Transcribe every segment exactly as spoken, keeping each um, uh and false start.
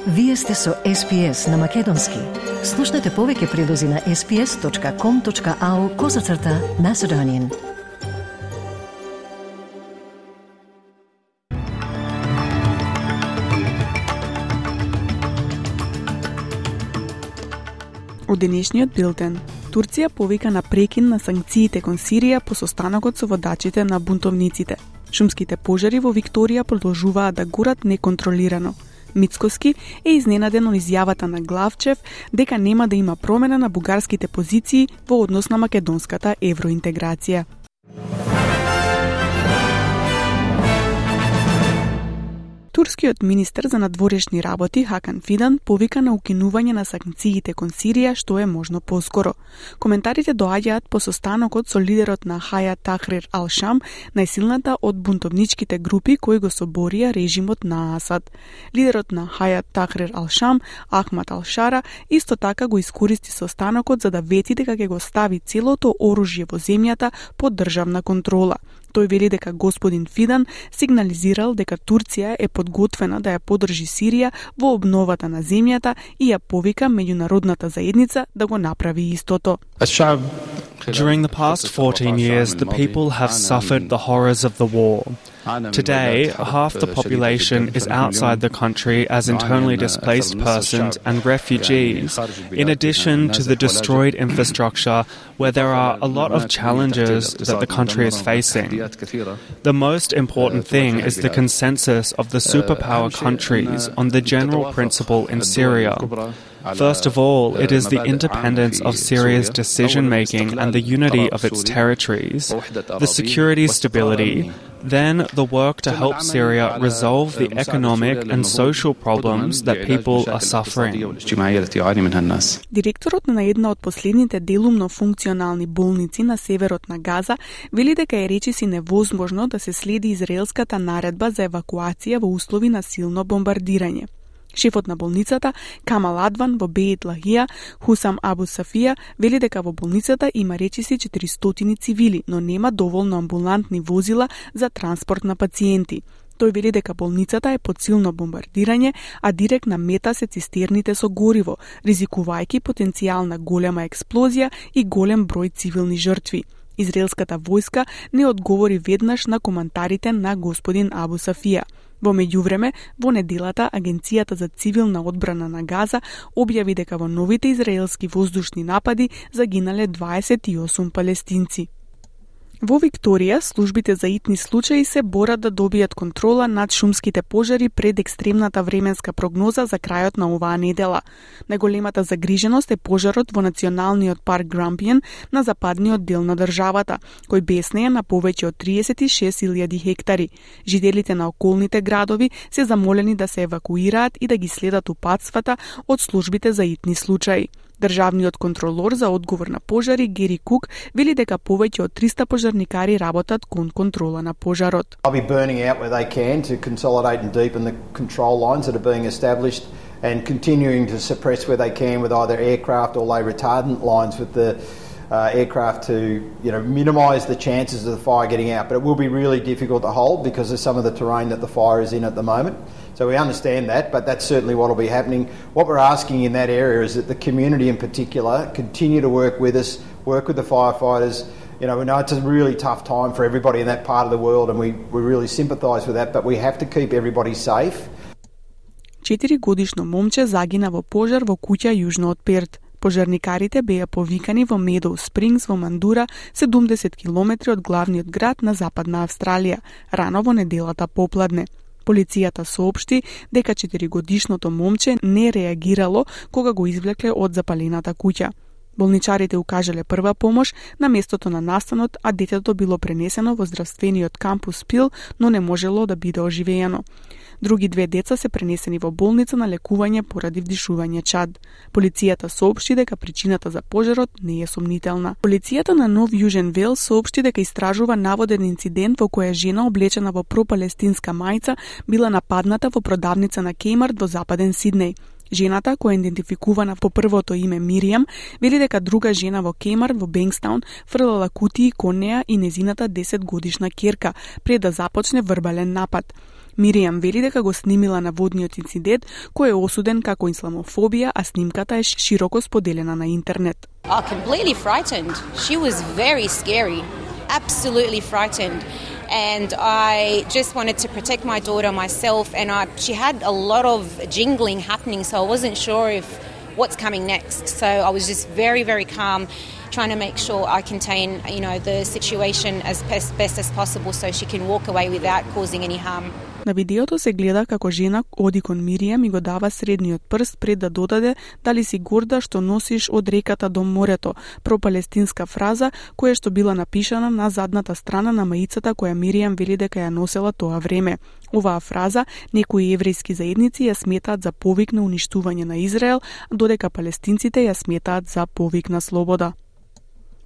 Вие сте со Ес Пи Ес на Македонски. Слушнете повеќе прилози на ес пи ес точка ком точка ау козацрта Macedonian. Од денешниот билтен, Турција повика на прекин на санкциите кон Сирија по состанокот со водачите на бунтовниците. Шумските пожари во Викторија продолжуваат да горат неконтролирано. Мицкоски е изненаден од изјавата на Главчев дека нема да има промена на бугарските позиции во однос на македонската евроинтеграција. Турскиот министер за надворешни работи Хакан Фидан повика на укинување на санкциите кон Сирија што е можно поскоро. Коментарите доаѓаат по состанокот со лидерот на Хајат Тахрир ал-Шам, најсилната од бунтовничките групи кои го соборија режимот на Асад. Лидерот на Хајат Тахрир ал-Шам, Ахмад ал-Шара, исто така го искористи состанокот за да вети дека ќе го стави целото оружје во земјата под државна контрола. Тој вели дека господин Фидан сигнализирал дека Турција е подготвена да ја поддржи Сирија во обновата на земјата и ја повика меѓународната заедница да го направи истото. During the past fourteen years, the people have suffered the horrors of the war. Today, half the population is outside the country as internally displaced persons and refugees, in addition to the destroyed infrastructure where there are a lot of challenges that the country is facing. The most important thing is the consensus of the superpower countries on the general principle in Syria. First of all, it is the independence of Syria's decision-making and the unity of its territories, the security stability, then the work to help Syria resolve the economic and social problems that people are suffering. Директорот на една од последните делумно функционални болници на северот на Газа вели дека е речиси невозможно да се следи израелската наредба за евакуација во услови на силно бомбардирање. Шефот на болницата, Камал Адван во Беит Лахија, Хусам Абу Сафија, вели дека во болницата има речиси четиристотини цивили, но нема доволно амбулантни возила за транспорт на пациенти. Тој вели дека болницата е под силно бомбардирање, а директна мета се цистерните со гориво, ризикувајќи потенцијална голема експлозија и голем број цивилни жртви. Израелската војска не одговори веднаш на коментарите на господин Абу Сафија. Во меѓувреме, во неделата Агенцијата за цивилна одбрана на Газа објави дека во новите израелски воздушни напади загинале дваесет и осум палестинци. Во Викторија, службите за итни случаи се борат да добијат контрола над шумските пожари пред екстремната временска прогноза за крајот на оваа недела. Најголемата загриженост е пожарот во националниот парк Грампиен на западниот дел на државата, кој беснее на повеќе од триесет и шест илјади хектари. Жителите на околните градови се замолени да се евакуираат и да ги следат упатствата од службите за итни случаи. Државниот контролор за одговор на пожари Гери Кук вели дека повеќе од триста пожарникари работат кон контрола на пожарот. I'll be burning out where they can to consolidate and deepen the control lines that are being established and continuing to suppress where they can with either aircraft or lay retardant lines with the uh, aircraft to, you know, minimise the chances of the fire getting out. But it will be really difficult to hold because of some of the terrain that the fire is in at the moment. So we understand that, but that's certainly what will be happening. What we're asking in that area is that the community in particular continue to work with us, work with the firefighters. You know, we know it's a really tough time for everybody in that part of the world and we, we really sympathise with that, but we have to keep everybody safe. Четири годишно момче загина во пожар во куќа јужно од Перт. Пожарникарите беа повикани во Медоу Спрингс во Мандура, седумдесет километри од главниот град на Западна Австралија, рано во неделата попладне. Полицијата соопшти дека четиригодишното момче не реагирало кога го извлекле од запалената куќа. Болничарите укажале прва помош на местото на настанот, а детето било пренесено во здравствениот кампус Пил, но не можело да биде оживеено. Други две деца се пренесени во болница на лекување поради вдишување чад. Полицијата соопшти дека причината за пожарот не е сомнителна. Полицијата на Нов Јужен Велс соопшти дека истражува наводен инцидент во која жена облечена во пропалестинска мајца била нападната во продавница на Кеймарт во Западен Сиднеј. Жената, која е идентификувана по првото име Миријам, вели дека друга жена во Кеймарт во Бенкстаун фрлала кутии кон неа и незината десет годишна ќерка пред да започне вербален напад. Миријам вели дека го снимила наводниот инцидент, кој е осуден како исламофобија, а снимката е широко споделена на интернет. Oh, completely frightened. She was very scary. Absolutely frightened. And I just wanted to protect my daughter myself, and I, she had a lot of jingling happening, so I wasn't sure if what's coming next. So I was just very, very calm, trying to make sure I contain, you know, the situation as best, best as possible so she can walk away without causing any harm. На видеото се гледа како жена оди кон Миријам и го дава средниот прст пред да додаде дали си горда што носиш од реката до морето, пропалестинска фраза која што била напишана на задната страна на маицата која Миријам вели дека ја носела тоа време. Оваа фраза некои еврејски заедници ја сметаат за повик на уништување на Израел, додека палестинците ја сметаат за повик на слобода.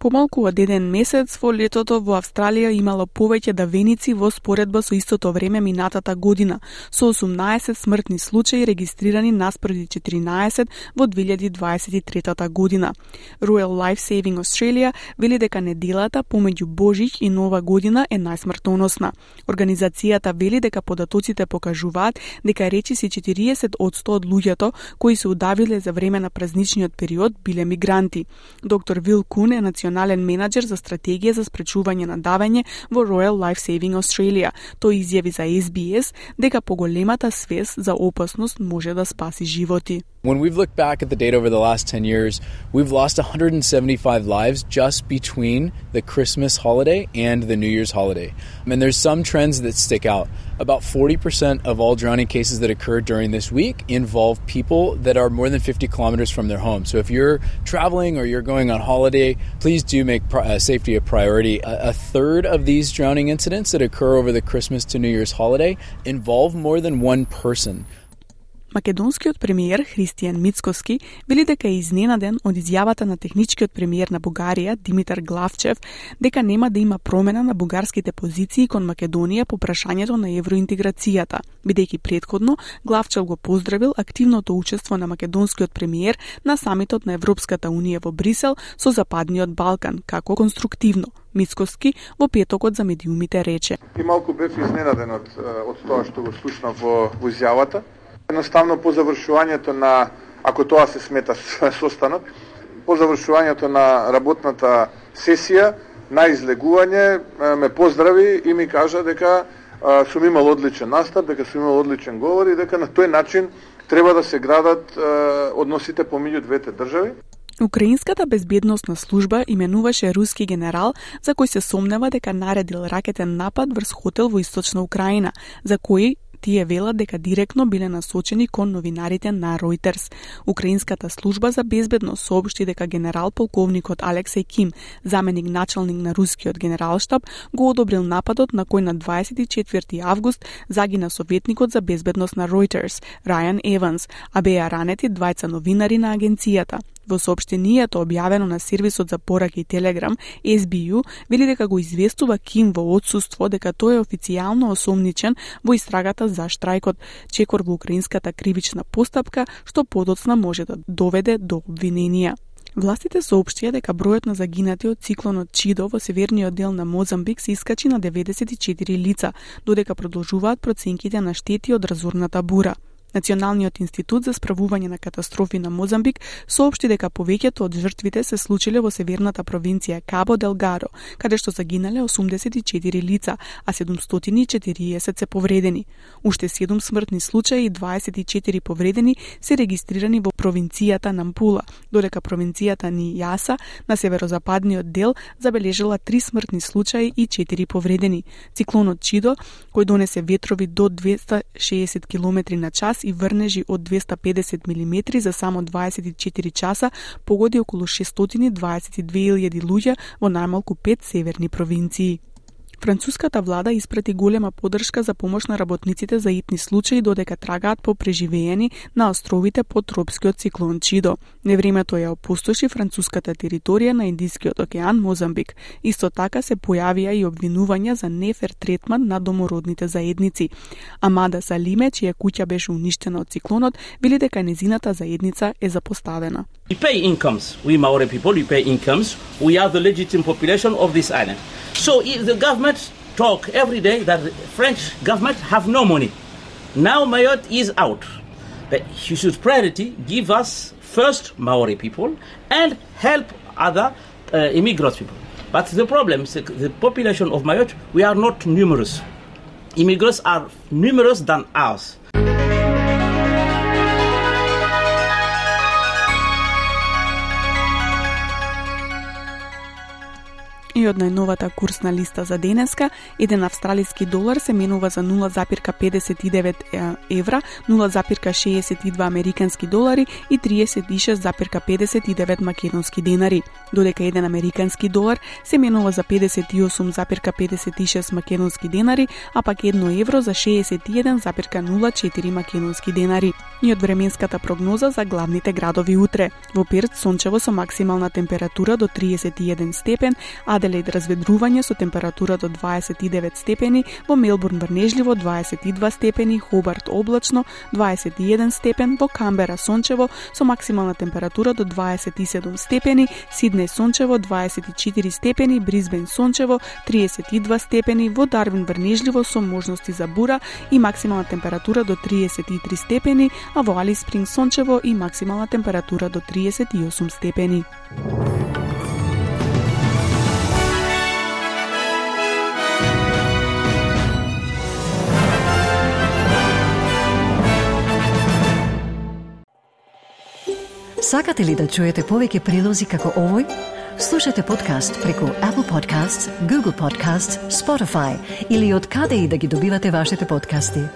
Помалку од еден месец во летото во Австралија имало повеќе давеници во споредба со истото време минатата година, со осумнаесет смртни случаи регистрирани наспроти четиринаесет во две илјади дваесет и трета година. Royal Life Saving Australia вели дека неделата помеѓу Божич и Нова година е најсмртоносна. Организацијата вели дека податоците покажуваат дека речиси четириесет одсто од луѓето кои се удавиле за време на празничниот период биле мигранти. Доктор Вил Кун е национален менаџер за стратегија за спречување на давење во Royal Life Saving Australia. Тој изјави за Ес Би Ес дека поголемата свест за опасност може да спаси животи. When we've looked back at the data over the last ten years, we've lost one hundred seventy-five lives just between the Christmas holiday and the New Year's holiday. And there's some trends that stick out. About forty percent of all drowning cases that occur during this week involve people that are more than fifty kilometers from their home. So if you're traveling or you're going on holiday, please do make uh, safety a priority. A, a third of these drowning incidents that occur over the Christmas to New Year's holiday involve more than one person. Македонскиот премиер Христијан Мицкоски вели дека е изненаден од изјавата на техничкиот премиер на Бугарија Димитар Главчев дека нема да има промена на бугарските позиции кон Македонија по прашањето на евроинтеграцијата, бидејќи претходно Главчев го поздравил активното учество на македонскиот премиер на самитот на Европската унија во Брисел со Западниот Балкан како конструктивно. Мицкоски во петокот за медиумите рече: И малку бев изненаден од од тоа што го слушнав во, во изјавата. Едноставно по завршувањето на, ако тоа се смета состанок, по завршувањето на работната сесија, на излегување ме поздрави и ми кажа дека а, сум имал одличен настап, дека сум имал одличен говор и дека на тој начин треба да се градат а, односите помеѓу двете држави. Украинската безбедносна служба именуваше руски генерал за кој се сомнева дека наредил ракетен напад врз хотел во источна Украина, за кој тие велат дека директно биле насочени кон новинарите на Reuters. Украинската служба за безбедност соопшти дека генерал полковникот Алексеј Ким, заменик началник на рускиот генералштаб, го одобрил нападот на кој на дваесет и четврти август загина советникот за безбедност на Reuters, Рајан Еванс, а беа ранети двајца новинари на агенцијата. Во соопштението објавено на сервисот за пораки Telegram, Ес Би Ю вели дека го известува Ким во отсуство дека тој е официјално осомничен во истрагата за штрајкот, чекор во украинската кривична постапка, што подоцна може да доведе до обвиненија. Властите соопштија дека бројот на загинати од циклонот Чидо во северниот дел на Мозамбик се искачи на деветдесет и четири лица, додека продолжуваат проценките на штети од разорната бура. Националниот институт за справување на катастрофи на Мозамбик соопшти дека повеќето од жртвите се случиле во северната провинција Кабо Делгаро, каде што загинале осумдесет и четири лица, а седумстотини и четириесет се повредени. Уште седум смртни случаи и дваесет и четири повредени се регистрирани во провинцијата Нампула, додека провинцијата Нијаса на северозападниот дел забележала три смртни случаи и четири повредени. Циклонот Чидо, кој донесе ветрови до двесте и шеесет километри на час и врнежи од двесте и педесет милиметри за само дваесет и четири часа, погоди околу шестстотини дваесет и две илјади луѓе во најмалку пет северни провинции. Француската влада испрати голема поддршка за помош на работниците за итни случаи додека трагаат по преживеени на островите под тропскиот циклон Чидо. Невремето ја опустоши француската територија на Индискиот океан Мозамбик. Исто така се појавија и обвинувања за нефер третман на домородните заедници. Амада Салиме, чија куќа беше уништена од циклонот, вели дека незината заедница е запоставена. We pay incomes. We Maori people, we pay incomes. We are the legitimate population of this island. So if the government talk every day that the French government have no money. Now Mayotte is out. But he should priority give us first Maori people and help other uh, immigrant people. But the problem is the population of Mayotte, we are not numerous. Immigrants are numerous than us. И од најновата курсна листа за денеска, еден австралиски долар се менува за нула запирка педесет и девет евра, нула запирка шеесет и два американски долари и триесет и шест запирка педесет и девет македонски денари, додека еден американски долар се менува за педесет и осум запирка педесет и шест македонски денари, а пак едно евро за шеесет и еден запирка нула четири македонски денари. И од временската прогноза за главните градови утре. Во Перт сончево со максимална температура до триесет и еден степен, Аделаид разведрување со температура до дваесет и девет степени, во Мелбурн врнежливо дваесет и два степени, Хобарт облачно дваесет и еден степен, во Камбера сончево со максимална температура до дваесет и седум степени, Сиднеј сончево дваесет и четири степени, Брисбен сончево триесет и два степени, во Дарвин врнежливо со можности за бура и максимална температура до триесет и три степени, а во Алис Спринг сончево и максимална температура до триесет и осум степени. Сакате ли да чуете повеќе прилози како овој? Слушате подкаст преку Apple Podcasts, Google Podcasts, Spotify или од каде и да ги добивате вашите подкасти.